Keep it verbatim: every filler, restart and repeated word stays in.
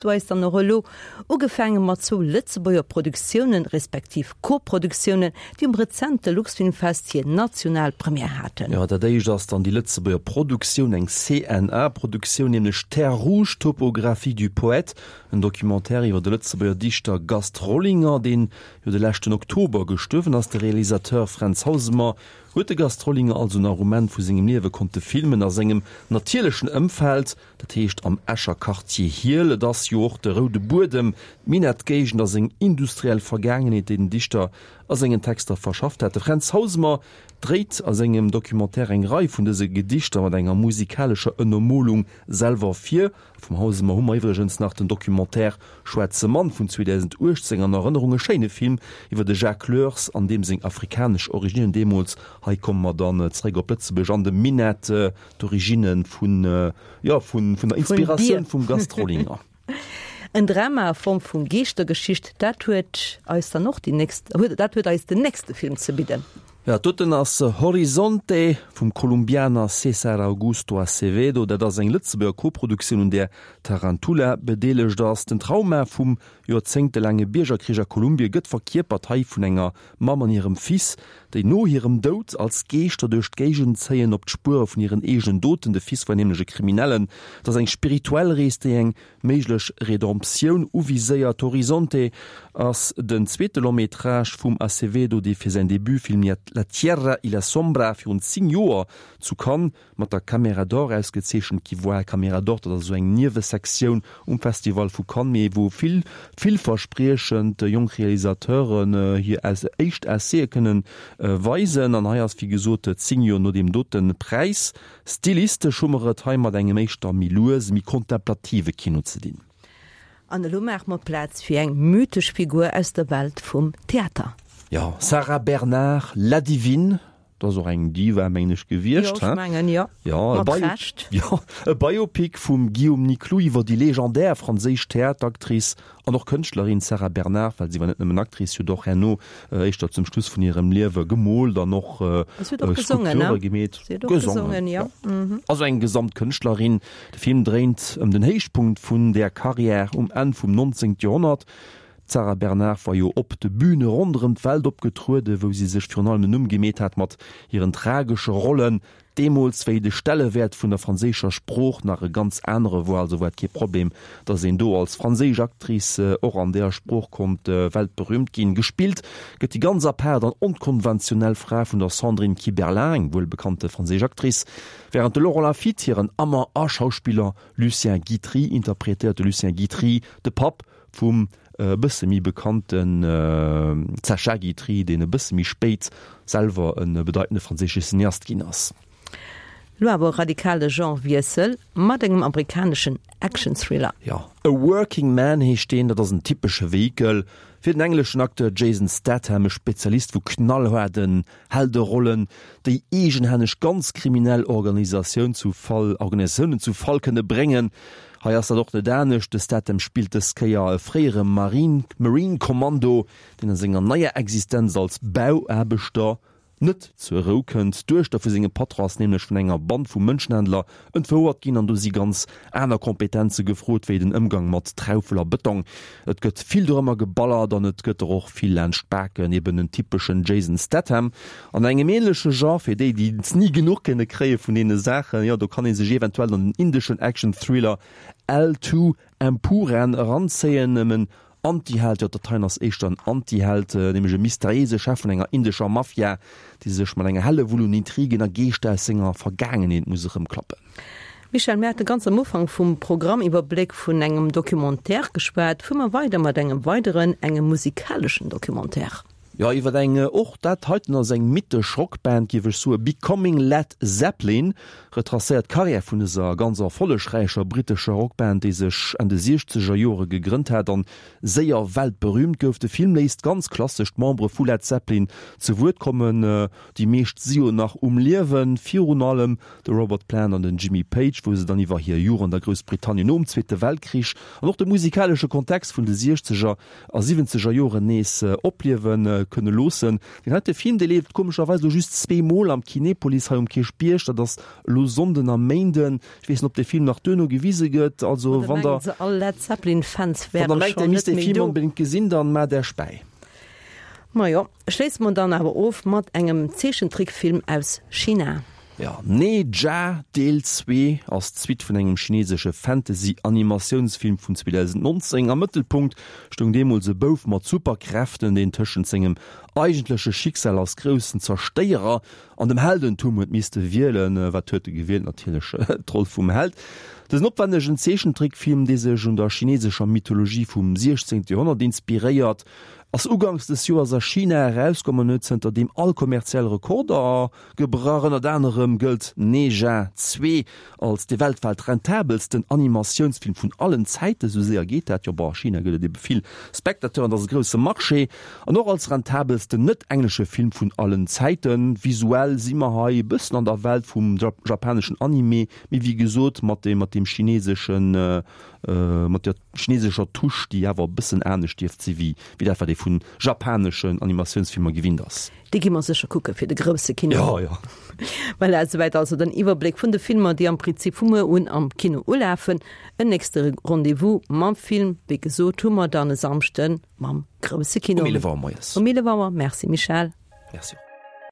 Du eis dann och elo ugefaange mat zwou Lëtzebuerger Produktiounen, respektiv Koproduktiounen, déi um rezente Luxfilmfest hir national Première haten. Jo, dat éischt ass dann déi Lëtzebuerger Produktioun, eng C N A Produktioun, nämlech Terre rouge, topographie du poète, en Documentaire iwwer de Lëtzebuerger Dichter Gast Rollinger, deen jo de leschten Oktober gestuerwen ass. De Realisateur Fränz Hausemer huet de Gast Rollinger also nach um Enn vu sengem Liewe konnte filmen a sengem natierlechen Ëmfeld, dat heescht am Escher Quartier Hiehl. Et ass jo och de roude Buedem, d'Minettgéigend a seng industriell Vergaangenheet, déi den Dichter a sengen Texter verschafft hat. De Fränz Hausemer dréit a sengem Documentaire eng Rei vun dëse Gedichter mat enger musikalescher Ënnermolung selwer vir. Vum Hausemer hu mer iwwregens nach den Documentaire Schwaarze Mann vun zweedausenduechtzéng an Erënnerung, e schéine Film iwwer de Jacques Leurs an deem seng afrikanesch Originnen deemools. Hei komme mer dann zeréck op Lëtzebuerg an de Minett, d'Originne vun, jo, vun der Inspiratioun vum Gast Rollinger. En Drama a Form vu Geeschtergeschicht, dat huet eis dann och déi nächst, dat huet eis den nächste Film ze bidden. Jo, doten ass Horizonte vum Kolumbianer César Augusto Acevedo. Dat ass eng Lëtzebuerger Koproduktioun, un där Tarantula bedeelegt ass. Den Trauma vum joerzéngtelaange Biergerkrich a Kolumbie gëtt verkierpert hei vun enger Mamm an hirem Fils, déi no hirem Doud als Geeschter duerch d'Géigend zéien, op d'Spuere vun hiren eegenen Doten. De Fils war nämlech e Kriminellen. Et ass eng spirituell Rees, déi eng méiglech Redemptioun uviséiert. Horizonte ass den zweete Long-métrage vum Acevedo, dee fir säin Debutfilm La tierra y la sombra virun zéng Joer zu Cannes mat der Caméra d'Or ausgezeechent gi war. Caméra d'Or, dat ass esou eng Niewesektioun um Festival vu Cannes, mee wou vill villverspriechend jonk Realisateuren hir éischt Essaie kënnen weisen. An hei ass, wéi gesot, zéng Joer no deem dote Präis. Stilistesch hu mer et hei mat engem éischter méi luese, méi kontemplative Kino ze dinn. An elo maache mer Plaz fir eng mythesch Figur aus der Welt vum Theater. Jo, Sarah Bernhardt, La Divine, dat ass och eng Diva, mengen ech, gewiescht, Jo, ech mengen, jo. Jo, e Mat Bio Recht. Jo, e Biopic vum Guillaume Nicloux iwwer déi legendär franséisch Theateractrice an och Kënschtlerin Sarah Bernhardt, well si war net nëmmen Actrice, si huet och herno, éischter zum Schluss vun hirem Liewe, gemoolt an och Si huet och gesongen, ne? Skulpture gemeet. Si huet och gesongen, jo. Jo. Also eng Gesamtkënschtlerin. De Film dréint ëm den Héichpunkt vun där Carrière um Enn vum nonzéngte Joerhonnert. D'Sarah Bernhardt war jo op de Büne ronderëm d'Welt opgetrueden, wou si sech virun allem en Numm gemeet hat mat hiren tragesche Rollen. Deemools, wéi de Stellewäert vun der franséischer Sprooch nach e ganz anere war, also war et kee Problem, datt een do als franséisch Actrice och an deeër Sprooch konnt weltberüümt ginn. Gespillt gëtt déi ganz apaart an onkonventionell Fra vun der Sandrine Kiberlain, eng wuelbekannte franséisch Actrice, wärend de Laurent Lafitte hiren Amant a Schauspiller Lucien Guitry interpretéiert. De Lucien Guitry, de Papp vum e bësse méi bekannten Sacha Guitry, deen e bësse méi spéit selwer e bedeitende franséische Cineast ginn ass. Lo awer e radikale Genre-Wiessel mat engem amerikaneschen Action-Thriller. Jo, A Working Man heescht deen. Dat ass en typesche Vehikel fir den engleschen Acteur Jason Statham, e Spezialist vu knallhaarden Helderollen, déi eegenhänneg ganz kriminell Organisatioun zu Fall, Organisatiounen zu Fall kënne bréngen. Hei ass dat och net anescht, de Statham spillt dës Kéier e fréiere Marine Marine Kommando, deen a senger neier Existenz als Bauaarbechter net zur Rou kënnt. D'Duechter vu sengem Patron ass nämlech vun enger Band vu Mënschenhändler entfouert ginn an do si ganz aner Kompetenze gefrot wéi den Ëmgang mat Traufel a Bëtong. Et gëtt vill dorëmmer geballert an et gëtt der och vill laanscht d'Baken, eben en typeschen Jason Statham. An engem änleche Genre, fir déi, déi et ni genuch kënne kréie vun deene Saachen, jo do kann ee sech eventuell an den indeschen Action-Thriller L Two Empuraan eranzéien. Ëm en Antiheld, jo dat heien ass éischter en Antiheld, nämlech e mysteriéise Chef vun enger indescher Mafia, dee sech mat enger Hellewull un Intrigen a Geeschter aus senger Vergaangenheet muss erëmklappen. Michel, mir hate ganz am Ufank vum Programmiwwerbléck vun engem Documentaire geschwat. Fuere mer weider mat engem weideren, engem musikaleschen Documentaire. Jo, iwwer eng, och dat heiten ass eng mythesch Rockband, géif ech soen, Becoming Led Zeppelin, retracéiert d'Karriär vun dëser ganz erfollegräicher brittescher Rockband, déi sech Enn de siechzeger Jore gegrënnt hat an séier weltberüümt gouf. De Film léisst ganz klassesch d'Membere vu Led Zeppelin zu Wuert kommen, déi meescht si jo nach um Liewen, virun allem de Robert Plant an den Jimmy Page, wou se dann iwwer hir Jugend a Groussbritannien nom Zweete Weltkrich an och de musikalesche Kontext vun de siechzeger a siwwenzeger Joren nees opliewe kënne loossen. Deen heite Film, dee leeft komescherweis elo just zwee Mol am Kinepolis hei um Kierchbierg, dat ass elo Sonnden a Méinden. Ech weess net, ob dee Film nach duerno gewise gëtt. Also Oder wann mengen der se, all Led Zeppelin-Fans wann der wäre mengt, der schonn misst net dee méi Film do. onbedéngt gesinn, dann maacht Iech bäi. Majo, schléisse mer dann awer of mat engem Zeechentrickfilm aus China. Jo, Ne Zha Deel zwee ass d'Suite vun engem chinesesche Fantasy-Animatiounsfilm vun zweedausendnonzéng. Am Mëttelpunkt stoung deemools e Bouf mat Superkräften, deen tëschent sengem eigentleche Schicksal als groussen Zerstéierer an dem Heldentum huet misste wielen. Wat huet e gewielt? Natierlech d'Roll vum Held. Dësen opwännegen Zeechentrickfilm, dee sech un der chinesescher Mythologie vum siechzéngte Joerhonnert inspiréiert, ass uganks des Joers a China erauskomm an huet zënterdeem all kommerziell Rekorder gebrach. Ënnert anerem gëllt Ne Zha zwee als de weltwäit rentabelsten Animatiounsfilm vun allen Zäiten. Sou séier geet dat jo. Bon, a China gëtt et ebe vill Spectateuren, dat ass e grousse Marché. An och als rentabelsten net-englesche Film vun allen Zäiten. Visuell si mer hei e bëssen an der Welt vum japaneschen Anime, mee wéi gesot mat deem chineseschen, mat der chinesescher Touche, déi awer e bëssen anescht dierft si wéi dat, wat ee vu japaneschen Animatiounsfilmer gewinnt ass. Déi gi mer sécher kucke fir de grousse Kino. Jo, jo. Voilà, esouwäit also den Iwwerbléck vun de Filmer, déi am Prinzip vu muer un am Kino ulafen. En nächste Rendez-vous mam Film, wéi gesot, hu mer dann e Samschde mam grousse Kino. Um eelef Auer moies. Um eelef Auer. Merci Michèle. Merci och.